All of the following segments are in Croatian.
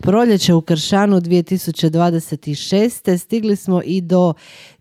Proljeće u Kršanu 2026. Stigli smo i do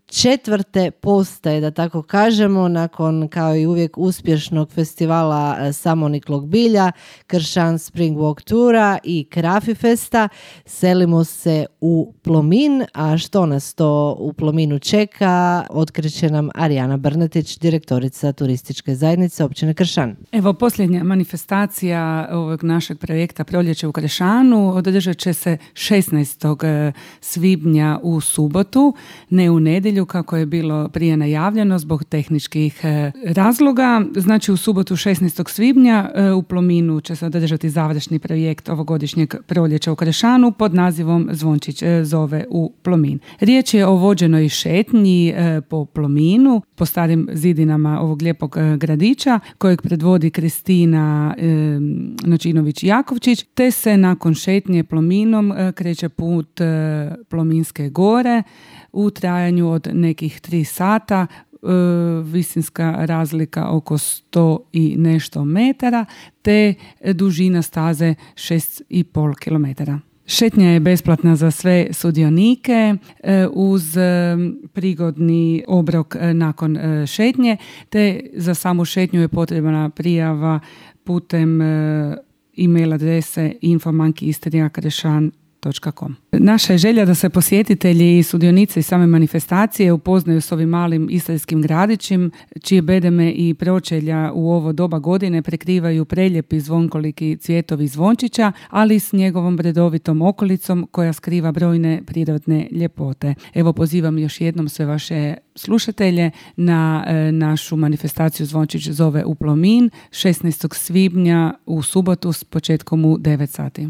4. postaje, da tako kažemo, nakon kao i uvijek uspješnog festivala samoniklog bilja, Kršan Spring Walk Tura i Krafi Festa, selimo se u Plomin, a što nas to u Plominu čeka, otkriće nam Arijana Brnetić, direktorica turističke zajednice općine Kršan. Evo, posljednja manifestacija ovog našeg projekta Proljeće u Kršanu održat će se 16. svibnja u subotu, ne u nedjelju kako je bilo prije najavljeno zbog tehničkih razloga. Znači u subotu 16. svibnja u Plominu će se održati završni projekt ovogodišnjeg Proljeća u Kršanu pod nazivom Zvončić zove u Plomin. Riječ je o vođenoj šetnji po Plominu, po starim zidinama ovog lijepog gradića kojeg predvodi Kristina Nočinović-Jakovčić, te se nakon šetnje Plominom kreće put Plominske gore u trajanju od nekih 3 sata, visinska razlika oko 100 i nešto metara, te dužina staze 6,5 kilometara. Šetnja je besplatna za sve sudionike uz prigodni obrok nakon šetnje, te za samu šetnju je potrebna prijava putem e-mail adrese info@istriakrešan.com. Naša je želja da se posjetitelji i sudionici same manifestacije upoznaju s ovim malim istarskim gradićem, čije bedeme i pročelja u ovo doba godine prekrivaju preljepi zvonkoliki cvjetovi zvončića, ali s njegovom bredovitom okolicom koja skriva brojne prirodne ljepote. Evo, pozivam još jednom sve vaše slušatelje na našu manifestaciju Zvončić zove u Plomin 16. svibnja u subotu s početkom u 9 sati.